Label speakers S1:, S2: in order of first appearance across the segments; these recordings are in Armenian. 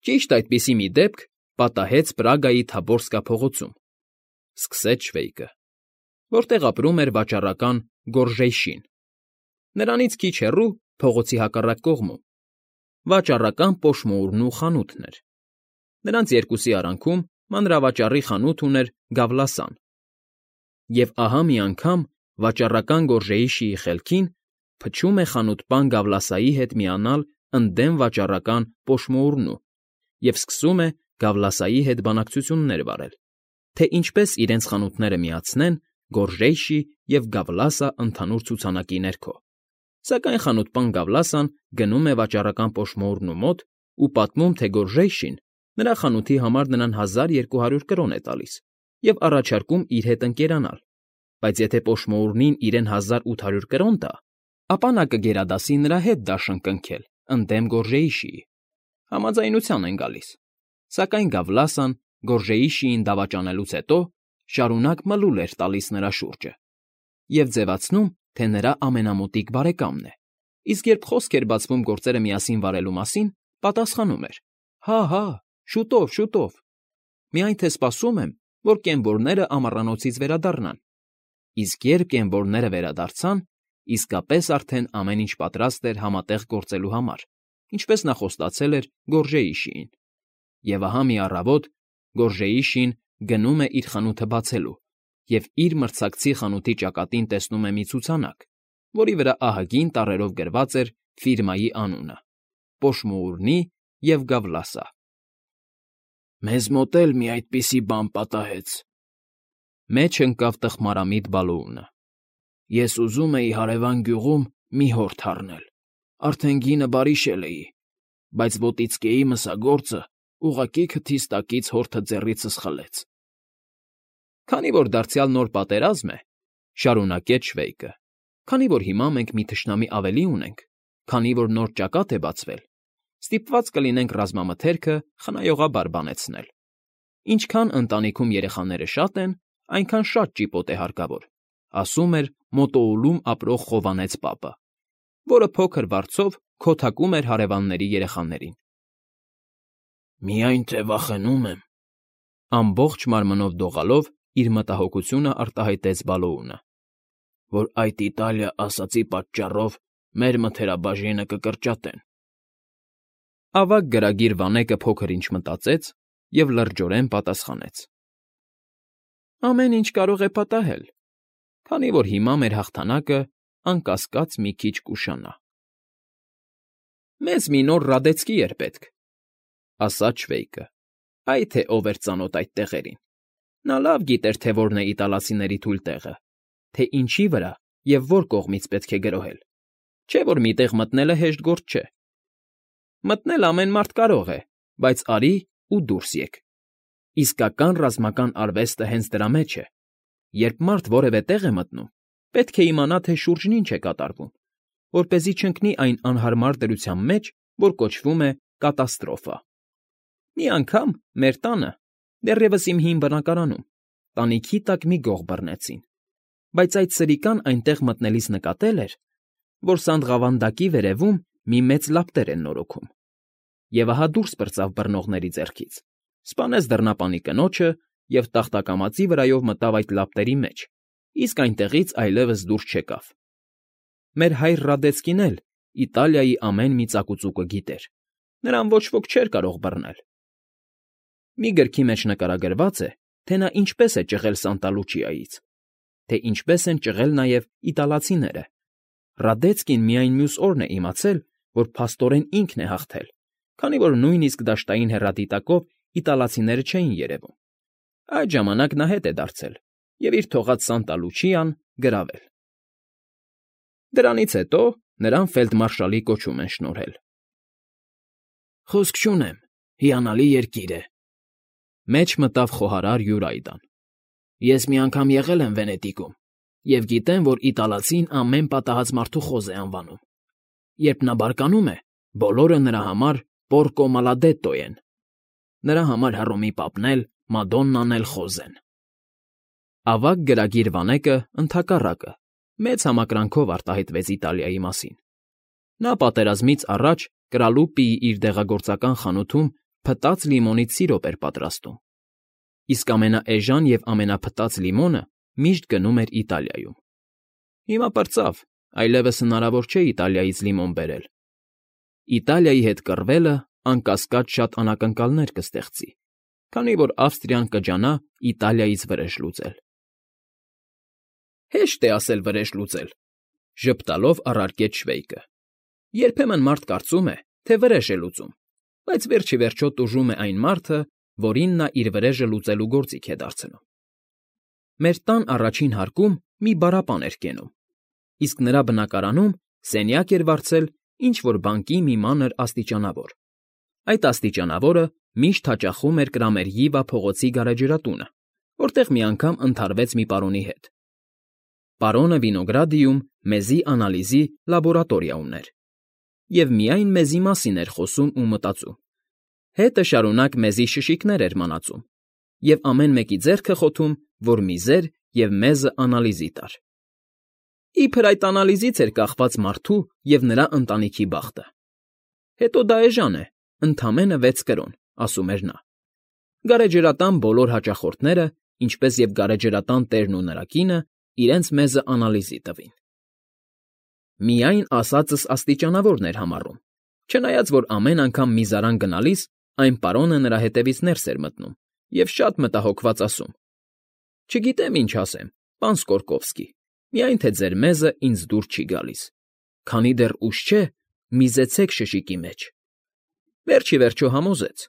S1: Ճիշտ այդպիսի մի դեպք պատահեց Պրագայի Թաբորսկա փողոցում, սկսեց Շվեյկը, որտեղ ապրում էր վաճառական Գորժեյշին։ Նրանից քիչ հեռու, փողոցի հակառակ կողմում, վաճառական Պոշմոուռնու խանութն էր։ Նրանց երկուսի արանքում մանրավաճառի խանութ ուներ Գավլասան։ Եվ ահա մի անգամ վաճառական Գորժեյշիի խելքին փչում է խանութպան Գավլասայի հետ միանալ ընդդեմ վաճառական Պոշմոուռնու և սկսում է Գավլասայի հետ բանակցություններ վարել, թե ինչպես իրենց խանութները միացնեն Գորժեյշի և Գավլասա ընդհանուր ցուցանակի ներքո։ Սակայն խանութպան Գավլասան գնում է վաճառական Պոշմոուռնու մոտ ու պատմում, թե Գորժեյշին նրա խանութի համար նրան 1200 կրոն է տալիս և առաջարկում իր հետ ընկերանալ, բայց եթե Պոշմոուռնին իրեն 1800 կրոն տա, ապա նա կգերադասի նրա հետ դաշն կնքել ընդդեմ Գորժեյշիի։ Համաձայնության են գալիս, սակայն Գավլասան Գորժեյշիին դավաճանելուց հետո շարունակ մլուլ էր տալիս նրա շուրջը և ձևացնում, թե նրա ամենամոտիկ բարեկամն է, իսկ երբ խոսք էր բացվում գործերը միասին վարելու մասին, պատասխանում էր. «Հա, շուտով, շուտով, միայն թե սպասում եմ, որ կենվորները ամառանոցից վերադառնան»։ Իսկ երբ կենվորները վերադարձան, իսկապես արդեն ամեն ինչ պատրաստ էր համատեղ գործելու համար, ինչպես նա խոստացել էր Գորժեյշիին։ Եվ ահա մի առավոտ Գորժեյշին գնում է իր խանութը բացելու և իր մրցակցի խանութի ճակատին տեսնում է մի ցուցանակ, որի վրա ահագին տառերով գրված էր ֆիրմայի անունը՝ Պոշմոուռնի և Գավլասա։ «Մեզ մոտ էլ մի այդպիսի բան պատահեց», մեջ ընկավ տխմարամիտ Բալոունը։ «Ես ուզում էի հարևան գյուղում մի հորթ առնել, արդեն գինը բարիշել էի, բայց ոտիցկեի մսագործը ուղղակի քթիս տակից հորթը ձեռիցս խլեց»։ «Քանի որ դարձյալ նոր պատերազմ է,֊ շարունակեց Շվեյկը,֊ քանի որ հիմա մենք մի թշնամի ավելի ունենք, քանի որ նոր ճակատ է բացվել, ստիպված կլինենք ռազմամթերքը խնայողաբար բանեցնել։ Ինչքան ընտանիքում երեխաները շատ են, այնքան շատ ճիպոտ է հարկավոր, ասում էր Մոտոուլում ապրող խովանեց պապը, որը փոքր վարձով քոթակում էր հարևանների երեխաներին։ «Միայն թե վախենում եմ,֊ ամբողջ մարմնով դողալով իր մտահոգությունը արտահայտեց Բալոունը,֊ որ այդ Իտալիա ասածի պատճառով մեր մթերաբաժինը կկրճատեն»։ Ավագ գրագիր վանեկը փոքր-ինչ մտածեց և լրջորեն պատասխանեց. «Ամեն ինչ կարող է պատահել, քանի որ հիմա մեր հաղթանակը անկասկած մի քիչ կուշանա»։ «Մեզ մի նոր Ռադեցկի էր պետք,֊ ասաց Շվեյկը,֊ այ թե ով էր ծանոթ այդ տեղերին։ Նա լավ գիտեր, թե որն է իտալացիների թույլ տեղը, թե ինչի վրա և որ կողմից պետք է գրոհել, չէ՞ որ մի տեղ մտնելը հեշտ գործ չէ։ Մտնել ամեն մարդ կարող է, բայց արի ու դուրս եկ։ Իսկական ռազմական արվեստը հենց դրա մեջ է։ Երբ մարդ որևէ տեղ է մտնում, պետք է իմանա, թե շուրջն ինչ է կատարվում, որպեսզի չընկնի այն անհարմար դրության մեջ, որ կոչվում է կատաստրոֆա։ Մի անգամ մեր տանը, դեռևս իմ հին բնակարանում, տանիքի տակ մի գող բռնեցին, բայց այդ սրիկան այնտեղ մտնելիս նկատել էր, որ սանդղավանդակի վերևում մի մեծ լապտեր են նորոգում, և ահա դուրս պրծավ բռնողների ձեռքից, սպանեց դռնապանի կնոջը և տախտակամածի վրայով մտավ այդ լապտերի մեջ, իսկ այնտեղից այլևս դուրս չեկավ։ Մեր հայր Ռադեցկին էլ Իտալիայի ամեն մի ծակուծուկը գիտեր, նրան ոչ ոք չէր կարող բռնել։ Մի գրքի մեջ նկարագրված է, թե նա ինչպես է ճղել Սանտա Լուչիայից, թե ինչպես են ճղել նաև իտալացիները։ Ռադեցկին միայն մյուս օրն է իմացել, որ փաստորեն ինքն է հաղթել, քանի որ նույնիսկ դաշտային հեռադիտակով իտալացիները չէին երևում։ Այդ ժամանակ նա հետ է դարձել և իր թողած Սանտա Լուչիան գրավել։ Դրանից հետո նրան ֆելդմարշալի կոչում են շնորհել։ «Խոսք չունեմ, հիանալի երկիր է,֊ մեջ մտավ խոհարար Յուրայդան։ «Ես մի անգամ եղել եմ Վենետիկում և գիտեմ, որ իտալացին ամեն պատահած մարդու խոզ է անվանում։ Երբ նա բարկանում է, բոլորը նրա համար Պորկո Մալադետո են. նրա համար Հռոմի պապն էլ, Մադոննան էլ խոզ են»։ Ավագ գրագիր վանեկը, ընդհակառակը, մեծ համակրանքով արտահայտվեց Իտալիայի մասին։ Նա պատերազմից առաջ Կրալուպիի իր դեղագործական խանութում փտած լիմոնից սիրոպ էր պատրաստում, իսկ ամենաէժան և ամենափտած լիմոնը միշտ գնում էր Իտալիայում։ Հիմա պրծավ, այլևս հնարավոր չէ Իտալիայից լիմոն բերել։ Իտալիայի հետ կռվելը, անկասկած, շատ անակնկալներ կստեղծի, քանի որ Ավստրիան կջանա Իտալիայից վրեժ լուծել։ Հեշտ է ասել վրեժ լուծել, ժպտալով առարկեց Շվեյկը։ Երբեմն մարդ կարծում է, թե վրեժ է լուծում, բայց վերջ ի վերջո տուժում է այն մարդը, որին նա իր վրեժը լուծելու գործիք է դարձնում։ Մեր տան առաջին հարկում մի բառապան էր կենում, իսկ նրա բնակարանում սենյակ էր վարձել ինչ-որ բանկի մի մանր աստիճանավոր։ Այդ աստիճանավորը միշտ հաճախում էր Կրամերյիվա փողոցի գարեջրատունը, որտեղ մի անգամ ընդհարվեց մի պարոնի հետ։ Պարոնը Վինոգրադիում մեզի անալիզի լաբորատորիա ուներ, և միայն մեզի մասին էր խոսում ու մտածում։ Հետը շարունակ մեզի շշիկներ էր մանածում, և ամեն մեկի ձեռքը խոթում, որ միզեր և մեզը անալիզի տար։ Իբր այդ անալիզից էր կախված մարդու և նրա ընտանիքի բախտը։ Հետո դա էժան է, ընդամենը 6 կրոն, ասում էր նա։ Գարեջրատան բոլոր հաճախորդները, ինչպես և գարեջրատան տերն ու նրա կինը, իրենց մեզը անալիզի տվին։ Միայն ասածս աստիճանավորն էր համառում, չնայած որ ամեն անգամ միզարան գնալիս այն պարոնը նրա հետևից ներս էր մտնում և շատ մտահոգված ասում. «Չգիտեմ ինչ ասեմ, պան Սկորկովսկի, միայն թե ձեր մեզը ինձ դուր չի գալիս, քանի դեռ ուշ չէ, միզեցեք շշիկի մեջ»։ Վերջ ի վերջո համոզեց։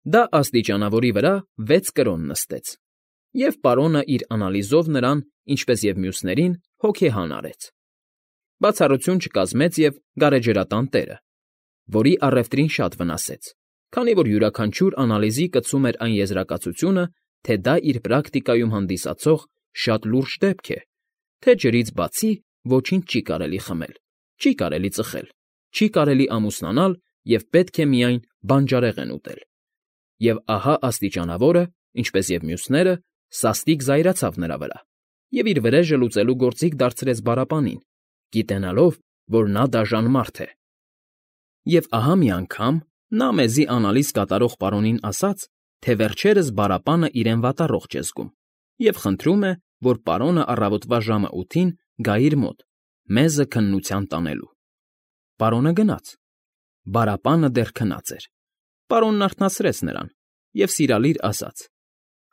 S1: Դա աստիճանավորի վրա 6 կրոն նստեց, և պարոնը իր անալիզով նրան, ինչպես և մյուսներին, հոգեհան արեց։ Բացառություն չկազմեց և գարեջրատան տերը, որի առևտրին շատ վնասեց, քանի որ յուրաքանչյուր անալիզի կցում էր այն եզրակացությունը, թե դա իր պրակտիկայում հանդիսացող շատ լուրջ դեպք է, թե ջրից բացի ոչինչ չի կարելի խմել, չի կարելի ծխել, չի կարելի ամուսնանալ և պետք է միայն բանջարեղեն ուտել։ Եվ ահա աստիճանավորը, ինչպես և մյուսները, սաստիկ զայրացավ նրա վրա և իր վրեժը լուծելու գործիք դարձրեց բառապանին, գիտենալով, որ նա դաժան մարդ է։ Եվ ահա մի անգամ նա մեզի անալիզ կատարող պարոնին ասաց, թե վերջերս բառապանը իրեն վատառողջ է զգում և խնդրում է, որ պարոնը առավոտվա ժամը 8-ին գա իր մոտ, մեզը քննության տանելու։ Պարոնը գնաց։ Բառապանը դեռ քնած էր։ Պարոնն արթնացրեց նրան և սիրալիր ասաց.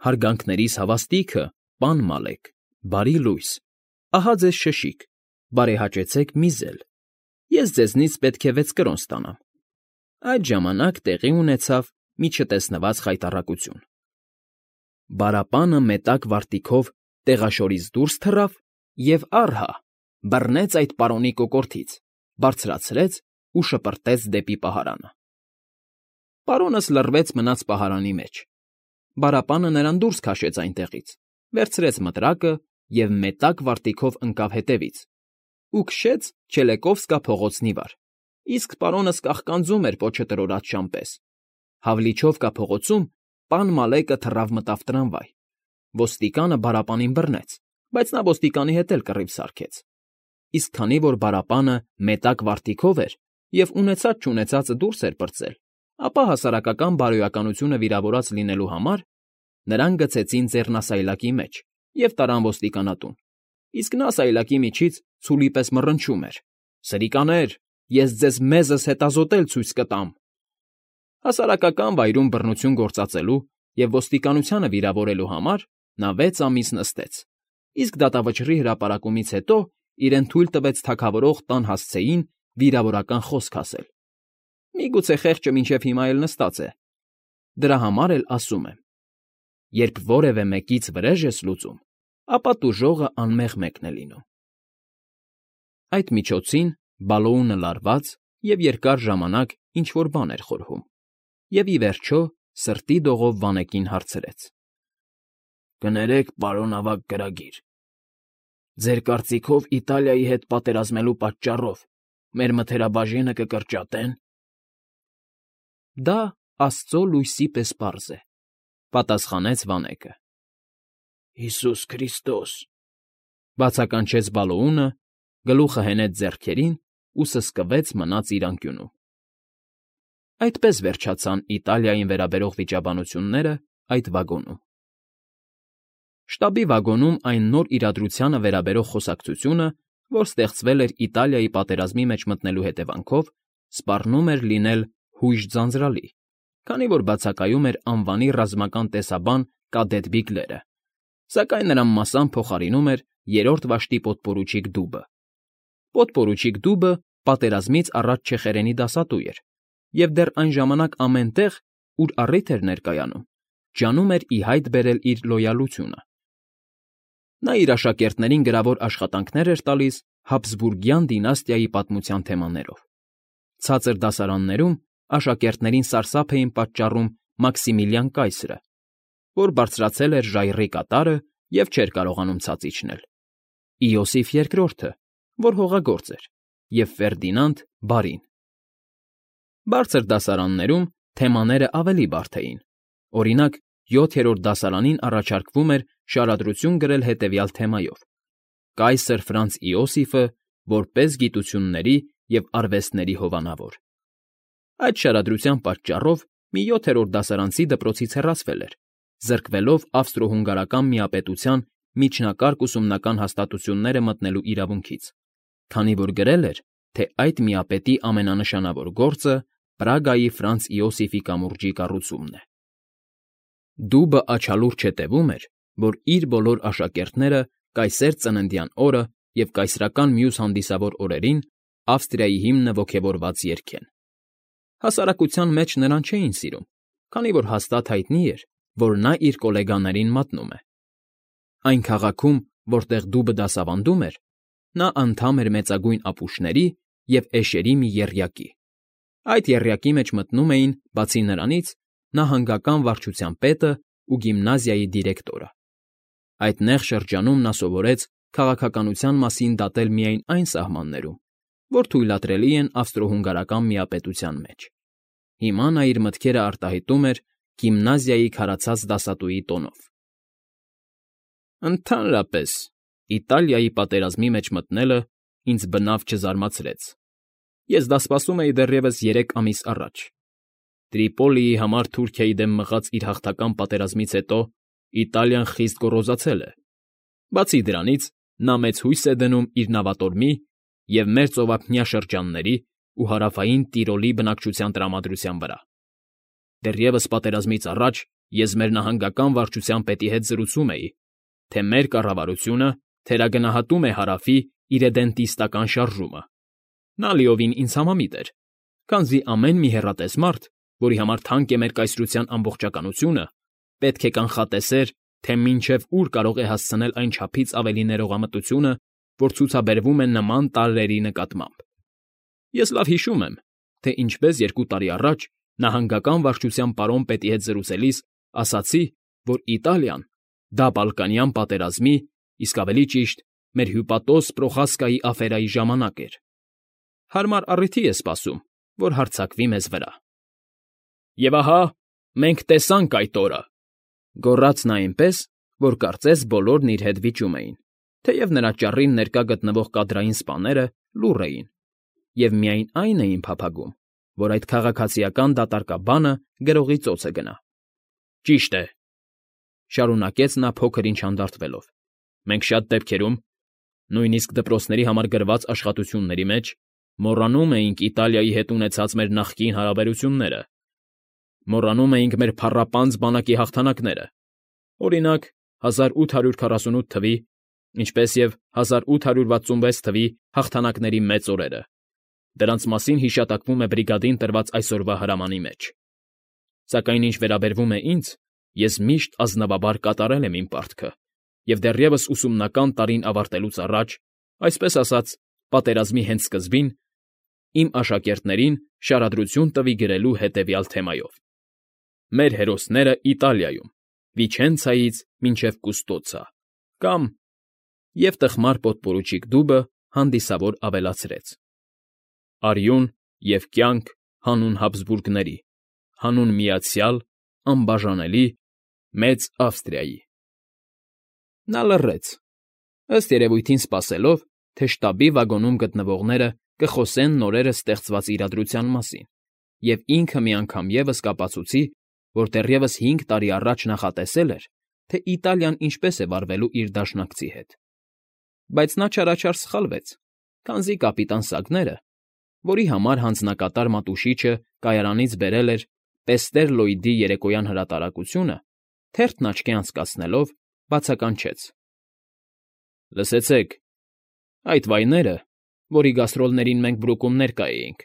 S1: «Հարգանքներիս հավաստիքը, պան Մալեք, բարի լույս, ահա ձեզ շշիկ, բարեհաճեցեք միզել։ Ես ձեզնից պետք է 6 կրոն ստանամ»։ Այդ ժամանակ տեղի ունեցավ մի չտեսնված խայտառակություն։ Բառապանը մետակ վարտիքով տեղաշորից դուրս թռավ և առհա բռնեց այդ պարոնի կոկորդից, բարձրացրեց ու շպրտեց դեպի պահարանը։ Պարոնս լռվեց մնաց պահարանի մեջ։ Բառապանը նրան դուրս քաշեց այնտեղից, վերցրեց մտրակը և մետակ վարտիքով ընկավ հետևից ու քշեց Չելեկովսկա փողոցն ի վար, իսկ պարոնս կաղկանձում էր պոչը տրորած շան պես։ Հավլիչովկա փողոցում պան Մալեկը թռավ մտավ տրամվայ։ Ոստիկանը բառապանին բռնեց, բայց նա ոստիկանի հետ էլ կռիվ սարքեց։ Իսկ քանի որ բառապանը մետակ վարտիքով էր և ունեցած֊չունեցածը դուրս էր պրծել, ապա հասարակական բարոյականությունը վիրավորած լինելու համար նրան գցեցին ձեռնասայլակի մեջ և տարան ոստիկանատուն, իսկ նա սայլակի միջից ցուլի պես մռնչում էր. «Սրիկաներ, ես ձեզ մեզս հետազոտել ցույց կտամ»։ Հասարակական վայրում բռնություն գործածելու և ոստիկանությանը վիրավորելու համար նա 6 ամիս նստեց, իսկ դատավճռի հրապարակումից հետո իրեն թույլ տվեց թագավորող տան հասցեին վիրավորական խոսք ասել։ Միգուցե խեղճը մինչև հիմա էլ նստած է։ Դրա համար էլ ասում եմ. երբ որևէ մեկից վրեժ ես լուծում, ապա տուժողը անմեղ մեկն է լինում։ Այդ միջոցին Բալոունը լարված և երկար ժամանակ ինչ֊որ բան էր խորհում և, ի վերջո, սրտի դողով Վանեկին հարցրեց. «Կներեք, պարոն ավագ գրագիր, ձեր կարծիքով Իտալիայի հետ պատերազմելու պատճառով մեր մթերաբաժինը կկրճատե՞ն»։ Դա աստծո լույսի պես պարզ է, պատասխանեց Վանեկը։ «Հիսուս Քրիստոս», բացականչեց Բալոունը, գլուխը հենեց ձեռքերին ու սսկվեց մնաց իր անկյունում։ Այդպես վերջացան Իտալիային վերաբերող վիճաբանությունները այդ վագոնում։ Շտաբի վագոնում այն նոր իրադրությանը վերաբերող խոսակցությունը, որ ստեղծվել էր Իտալիայի պատերազմի մեջ մտնելու հետևանքով, սպառնում էր լինել հույժ ձանձրալի, քանի որ բացակայում էր անվանի ռազմական տեսաբան Կադետ Բիգլերը, սակայն նրան մասամբ փոխարինում էր երրորդ վաշտի պոդպորուչիկ Դուբը։ Պոդպորուչիկ Դուբը պատերազմից առաջ չեխերենի դասատու էր, և դեռ այն ժամանակ ամեն տեղ, ուր առիթ էր ներկայանում, ջանում էր ի հայտ բերել իր լոյալությունը։ Նա իր աշակերտներին գրավոր աշխատանքներ էր տալիս Հաբսբուրգյան դինաստիայի պատմության թեմաներով։ Ցածր դասարաններում աշակերտներին սարսափ էին պատճառում Մաքսիմիլիան կայսրը, որ բարձրացել էր ժայռի կատարը և չէր կարողանում ցած իջնել, Իոսիֆ II-ը, որ հողագործ էր, և Ֆերդինանդ բարին։ Բարձր դասարաններում թեմաները ավելի բարդ էին։ Օրինակ, 7-րդ դասարանին առաջարկվում էր շարադրություն գրել հետևյալ թեմայով. Կայսր Ֆրանց Իոսիֆը որպես գիտությունների և արվեստների հովանավոր։ Այդ շարադրության պատճառով մի 7-րդ դասարանցի դպրոցից հեռացվել էր, զրկվելով ավստրո֊հունգարական միապետության միջնակարգ ուսումնական հաստատությունները մտնելու իրավունքից, քանի որ գրել էր, թե այդ միապետի ամենանշանավոր գործը Պրագայի Ֆրանց Իոսիֆի կամուրջի կառուցումն է։ Դուբը աչալուրջ հետևում էր, որ իր բոլոր աշակերտները կայսեր ծննդյան օրը և կայսրական մյուս հանդիսավոր օրերին Ավստրիայի հիմնը ոգևորված երգեն։ Հասարակության մեջ նրան չէին սիրում, քանի որ հաստատ հայտնի էր, որ նա իր գոլեգաներին մատնում է։ Այն քաղաքում, որտեղ Դուբը դասավանդում էր, նա անդամ էր մեծագույն ապուշների և էշերի մի եռյակի։ Այդ եռյակի մեջ մտնում էին, բացի նրանից, նահանգական վարչության պետը ու գիմնազիայի դիրեկտորը։ Այդ նեղ շրջանում նա սովորեց քաղաքականության մասին դատել միայն այն սահմաններում, որ թույլատրելի են ավստրո֊հունգարական միապետության մեջ։ Հիմա նա իր մտքերը արտահայտում էր գիմնազիայի քարացած դասատուի տոնով։ Ընդհանրապես, Իտալիայի պատերազմի մեջ մտնելը ինձ բնավ չզարմացրեց։ Ես դա սպասում էի դեռևս 3 ամիս առաջ։ Տրիպոլիի համար Թուրքիայի դեմ մղած իր հաղթական պատերազմից հետո Իտալիան խիստ գոռոզացել է։ Բացի դրանից, նա մեծ հույս է դնում իր նավատորմի և մեր ծովափնյա շրջանների ու հարավային Տիրոլի բնակչության տրամադրության վրա։ Դեռևս պատերազմից առաջ ես մեր նահանգական վարչության պետի հետ զրուցում էի, թե մեր կառավարությունը թերագնահատում է Հարավի իրեդենտիստական շարժումը։ Նա լիովին ինձ համամիտ էր, քանզի ամեն մի հեռատես մարդ, որի համար թանկ է մեր կայսրության ամբողջականությունը, պետք է կանխատեսեր, թե մինչև ուր կարող է հասցնել այն չափից ավելի ներողամտությունը, որ ցուցաբերվում է նման տարրերի նկատմամբ։ Ես լավ հիշում եմ, թե ինչպես 2 տարի առաջ նահանգական վարչության պարոն պետի հետ զրուցելիս ասացի, որ Իտալիան դա Բալկանյան պատերազմի, իսկ ավելի ճիշտ, մեր հյուպատոս Պրոխասկայի աֆերայի ժամանակ էր։ Հարմար առիթի է սպասում, որ հարձակվի մեզ վրա։ Եվ ահա, մենք տեսանք այդ օրը, գոռաց նա այնպես, որ կարծես բոլորն իր հետ վիճում էին, թեև նրա ճառին ներկա գտնվող կադրային սպաները լուռ էին և միայն այն էին փափագում, որ այդ քաղաքացիական դատարկաբանը գրողի ծոցը գնա։ Ճիշտ է, շարունակեց նա փոքր ինչ հանդարտվելով, մենք շատ դեպքերում, նույնիսկ դպրոցների համար գրված աշխատությունների մեջ, մոռանում էինք Իտալիայի հետ ունեցած մեր նախկին հարաբերությունները, մոռանում էինք մեր փառապանծ բանակի հաղթանակները, օրինակ 1848 թվի, ինչպես և 1866 թվի հաղթանակների մեծ օրերը, դրանց մասին հիշատակվում է բրիգադին տրված այսօրվա հրամանի մեջ։ Սակայն ինչ վերաբերվում է ինձ, ես միշտ ազնվաբար կատարել եմ իմ պարտքը և դեռևս ուսումնական տարին ավարտելուց առաջ, այսպես ասած, պատերազմի հենց սկզբին, իմ աշակերտներին շարադրություն տվի գրելու հետևյալ թեմայով. Մեր հերոսները Իտալիայում, Վիչենցայից մինչև Կուստոցա, կամ և տխմար պոդպորուչիկ Դուբը հանդիսավոր ավելացրեց. Արյուն և կյանք հանուն Հաբսբուրգների, հանուն միացյալ, անբաժանելի, մեծ Ավստրիայի։ Նա լռեց, ըստ երևույթին սպասելով, թե շտաբի վագոնում գտնվողները կխոսեն նորերս ստեղծված իրադրության մասին, և ինքը մի անգամ ևս կապացուցի, որ դեռևս 5 տարի առաջ նախատեսել էր, թե Իտալիան ինչպես է վարվելու իր դաշնակցի հետ։ Բայց նա չարաչար սխալվեց, քանզի կապիտան Սագները, որի համար հանձնակատար մատուշիչը կայարանից բերել էր տեստեր Լոյդի երեկոյան հրատարակությունը, թերթն աչքի անցկացնելով, բացականչեց. ֊ Լսեցեք, այդ վայները, որի գաստրոլներին մենք Բրուկում ներկա էինք,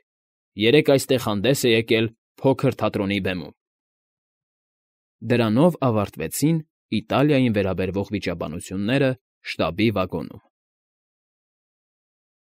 S1: երեկ այստեղ հանդես է եկել փոքր թատրոնի բեմում։ Դրանով ավարտվեցին Իտալիային վերաբերող վիճաբանությունները շտաբի վագոնում։